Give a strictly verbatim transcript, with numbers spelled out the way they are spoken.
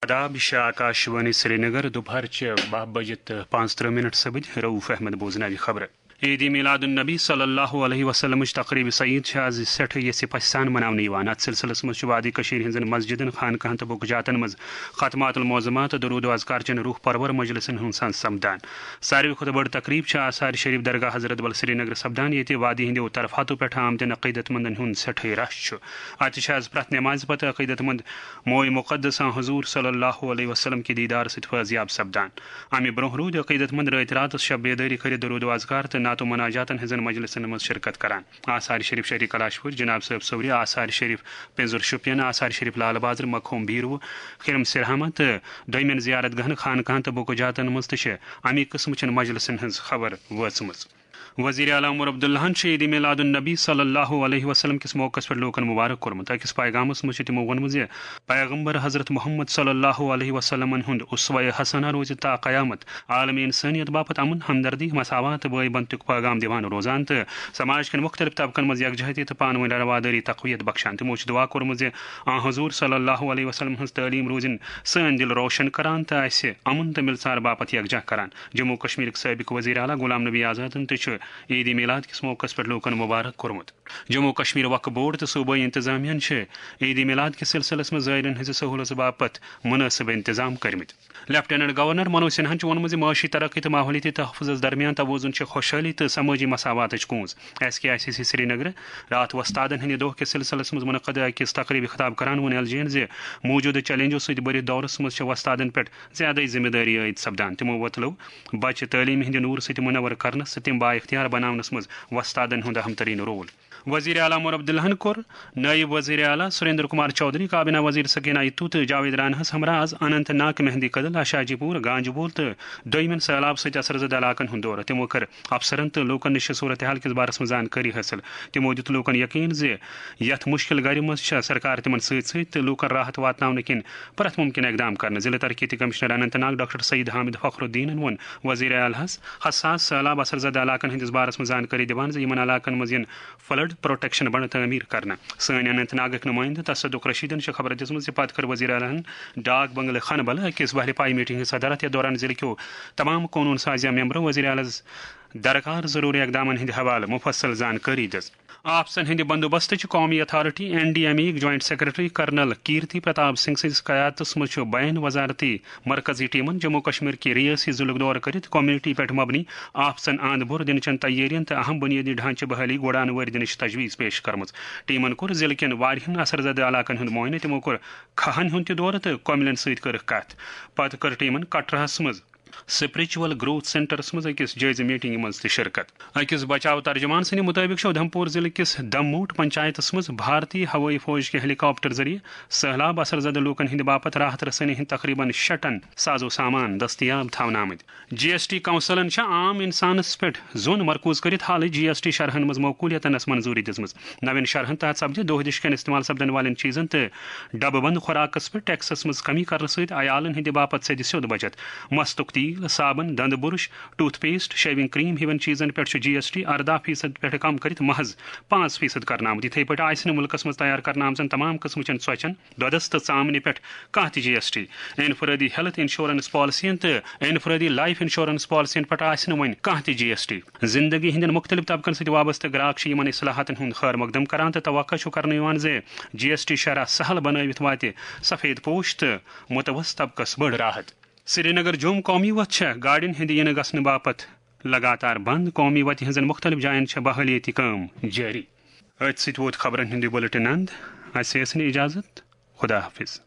آداب، یہِ چھِ آکاشوانی سرینگر، دُپہرچہِ باہ بجہِ تہٕ پانٛژترٕٛہ منٹ سپٕدۍ۔ رؤف احمد بوزناوِ خبرٕ۔ عید میلاد النبی صلی اللہ علیہ وسلمٕچ تقریب سعید چھِ آز سٮ۪ٹھاہ یژھِ پژھِ سان مناونہٕ یِوان۔ اتھ سلسلس منٛز چھُ وادی کٔشیٖر ہٕنٛزن مسجدن، خانقاہن تہٕ بُکہٕ جاتن منٛز ختمات المعظمات، درود و اذکار چٮ۪ن روح پرور مجلسن ہُنٛد سان سپدان۔ ساروی کھۄتہٕ بٔڑ تقریب چھِ آثار شریف درگاہ حضرت بل سرینگر سپدان، ییٚتہِ وادی ہٕنٛدیو طرفاتو پٮ۪ٹھ آمتٮ۪ن عقیدت مندن ہُنٛد سٮ۪ٹھٕے رش چھُ۔ اتہِ چھِ آز پرٛٮ۪تھ نٮ۪مازِ پتہٕ عقیدت مند موے مقدس آن حضور صلی اللہ علیہ وسلم کہِ دیدار سۭتۍ فٲضیاب سپدان۔ امہِ برونٛہہ روٗدۍ عقیدت مند رٲتۍ راتس شب بیدٲری کٔرِتھ درود و اذکار تہٕ نعت و مناجاتن ہٕنٛزن مجلسن منٛز شرکت کران۔ آثار شریف شہری کلاشپور، جناب صٲب صوری، آثار شریف پینزر شوپین، آثار شریف لال بازر، مقہوم بیروہ، خرم سرہامہ تہٕ دوٚیمٮ۪ن زیارت گاہن، خانقاہن تہٕ بُکہٕ جاتن منٛز تہِ چھِ امی قٕسمٕچن مجلسن ہٕنٛز خبر وٲژمٕژ۔ وزیر اعلیٰ عمر عبداللہن چھُ عید میلاد النبی صلی اللہ علیہ وسلم کِس موقعس پٮ۪ٹھ لوٗکن مبارک کوٚرمُت۔ أکِس پیغامس منٛز چھُ تِمو ووٚنمُت زِ پیغمبر حضرت محمد صلی اللہ علیہ وسلمن ہُنٛد اسوہ حسنہ روزِ تا قیامت عالم انسانیت باپتھ امن، ہمدردی، مساوات تہٕ بٲے بنتُک پیغام دِوان روزان تہٕ سماج کٮ۪ن مُختٔلِف طبقن منٛز یکجہتی تہٕ پانہٕ ؤنۍ روادٲری تقویت بخشان۔ تِمو چھُ دعا کوٚرمُت زِ آن حضور صلی اللہ علیہ وسلم ہٕنٛز تعلیٖم روزِن سٲنۍ دِل روشن کران تہٕ اسہِ امن تہٕ مِلژار باپتھ یکجاہ کران۔ جموں کشمیرٕکۍ سٲبق وزیر اعلیٰ غلام نبی آزادن تہِ چھُ عید میلاد کِس موقعس پٮ۪ٹھ لوٗکن مبارک کوٚرمُت۔ جموں کشمیر وقف بورڈ تہٕ صوبٲئی انتظامیہ ہن چھِ عید میلاد کِس سلسلس منٛز زائرین ہٕنٛزِ سہولژ باپتھ مناسب انتظام کٔرمٕتۍ۔ لیفٹیننٹ گورنر منوج سنہاہن چھُ ووٚنمُت زِ معاشی ترقی تہٕ ماحولیٲتی تحفظس درمیان توازن چھِ خوشحٲلی تہٕ سمٲجی مساواتٕچ کونٛز۔ S K I C C Srinagar راتھ وۄستادن ہٕنٛدِ دۄہ کِس سلسلس منٛز منعقد أکِس تقریبہِ خطاب کران ووٚن ایل جی یَن زِ موٗجوٗدٕ چیلنجو سۭتۍ بٔرِتھ دورس منٛز چھِ وۄستادن پٮ۪ٹھ زیادَے ذمہٕ دٲری عٲید سپدان۔ تِمو وۄتلٲو بچہِ تعلیٖم ہٕنٛدِ نوٗرٕ سۭتۍ منور کرنس تہٕ تِم بااختیار بناونس منٛز وۄستادن ہُنٛد اہم ترین رول۔ وزیر اعلیٰ عمر عبداللہن کوٚر نائب وزیر اعلیٰ سریندر کمار چودھری، کابینہ وزیر سکینہ اتو تہٕ جاوید راناہس ہمراہ آز اننت ناگ، مہندی کدل، اشاجی پور، گانجبول تہٕ دویمٮ۪ن سیلاب سۭتۍ اثر زدٕ علاقن ہُنٛد دورٕ۔ تِمو کٔر افسرن تہٕ لوٗکن نِش صورتحال کِس بارس منٛز زانکٲری حٲصِل۔ تِمو دیُت لوٗکن یقین زِ یتھ مُشکِل گرِ منٛز چھےٚ سرکار تِمن سۭتۍ سۭتۍ تہٕ لوٗکن راحت واتناونہٕ کِنۍ پرٛٮ۪تھ مُمکِن اقدام کرنہٕ۔ ضلع ترقیتی کمشنر اننت ناگ ڈاکٹر سعید حامد فخر الدینن ووٚن وزیر اعلیٰ ہس حساس سیلاب اثر زدٕ علاقن ہٕنٛدِس بارس منٛز زانکٲری دِوان زِ یِمن علاقن منٛز یِن فلڈ پروٹیکشن بنٛڈ تعمیٖر کرنہٕ۔ سٲنۍ اننت ناگٕکۍ نُمٲیندٕ تصدق رشیدن چھِ خبرس دِژمٕژ زِ پتہٕ کٔر وزیر اعلیٰ ہن ڈاک بنگلہٕ خانہٕ بلہٕ أکِس بحرِ پاے میٹنگ ہٕنٛز صدارت، یتھ دوران ضلعہٕ کیو تمام قونوٗن سازیہ ممبرو وزیر اعلیٰ ہس درکار ضروٗری اقدامن ہٕنٛدِ حوالہٕ مُفصل زانکٲری دِژ۔ آفژن ہٕنٛدِ بندوبستٕچ قومی authority, N D M A یِک joint secretary colonel Kirti Pratap Singh سٕنٛدِس قیادتس منٛز چھُ بین وزارتی مرکزی ٹیمن جموں کشمیر کہِ ریٲسی ضلعُک دورٕ کٔرِتھ کمیونٹی پٮ۪ٹھ مبنی آفژن اند بُر دِنہٕ چٮ۪ن تیٲرین تہٕ اہم بنیٲدی ڈھانچہٕ بحالی گۄڈانوٲرۍ دِنٕچ تجویز پیش کٔرمٕژ۔ ٹیمن کوٚر ضلعہٕ کٮ۪ن واریاہن اثر زدٕ علاقن ہُنٛد معائنہٕ۔ تِمو کوٚر کھہن ہُنٛد تہِ دورٕ تہٕ کۄملٮ۪ن سۭتۍ کٔرٕکھ کتھ۔ پتہٕ کٔر ٹیمن کٹراہس منٛز اسپرچوئل گروتھ سینٹرس منٛز أکِس جٲیزٕ میٹنگہِ منٛز تہِ شرکت۔ أکِس بچاو ترجمان سٕنٛدِ مُطٲبِق چھُ اُدھمپور ضلعہٕ کِس دموٹ پنچایتس منٛز بھارتی ہوٲیی فوج کہِ ہیلی کاپٹر ذٔریعہٕ سٔہلاب اثر زدٕ لوٗکن ہٕنٛدِ باپتھ راحت رسٲنی ہٕنٛدۍ تقریباً شیٚٹن ساز و سامان دٔستیاب تھاونہٕ آمٕتۍ۔ جی ایس ٹی کونسلن چھےٚ عام انسانس پٮ۪ٹھ زون مرکوز کٔرِتھ حالٕے جی ایس ٹی شرحن منٛز معقولیتس منظوٗری دِژمٕژ۔ نوین شرحن تحت سپدِ دۄہ دِش کٮ۪ن استعمال سپدن والٮ۪ن چیزن تہٕ ڈبہٕ بند خوراکس پٮ۪ٹھ ٹیکسس منٛز کمی کرنہٕ سۭتۍ عیالن ہٕنٛدِ باپتھ سیٚدِ سیوٚد بچت۔ مستُک تیل، صابن، دندٕ برش، ٹوتھ پیسٹ، شیونگ کریم ہِوٮ۪ن چیزن پٮ۪ٹھ چھُ جی ایس ٹی ارداہ فیصد پٮ۪ٹھ کم کٔرِتھ محض پانٛژھ فیصد کرنہٕ آمُت۔ یِتھے پٲٹھۍ آسہِ نہٕ مُلکس منٛز تیار کرنہٕ آمژن تمام قٕسمٕچن ژۄچن، دۄدس تہٕ ژامنہِ پٮ۪ٹھ کانٛہہ تہِ جی ایس ٹی۔ انفرٲدی ہیلتھ انشورنس پالیسین تہٕ انفرٲدی لایف انشورنس پالیسین پٮ۪ٹھ آسہِ نہٕ وۄنۍ کانٛہہ تہِ جی ایس ٹی۔ زندگی ہٕنٛدٮ۪ن مُختٔلِف طبقن سۭتۍ وابستہٕ گراک چھِ یِمن اصلاحاتن ہُنٛد خٲر مقدم کران تہٕ توقع چھُ کرنہٕ یِوان زِ جی ایس ٹی شرح سہل بنٲوِتھ واتہِ سفید پوش تہٕ متوسط طبقس بٔڑ راحت۔ سرینگر جوم قومی وتھ چھےٚ گاڑٮ۪ن ہٕنٛدِ یِنہٕ گژھنہٕ باپتھ لگاتار بند۔ قومی وتہِ ہٕنٛزن مُختٔلِف جاین چھےٚ بحٲلیٲتی کٲم جٲری۔ أتھۍ سۭتۍ ووت خبرن ہُنٛد یہِ بُلٹن اند۔ اسہِ ٲسِن اجازت۔ خدا حافظ۔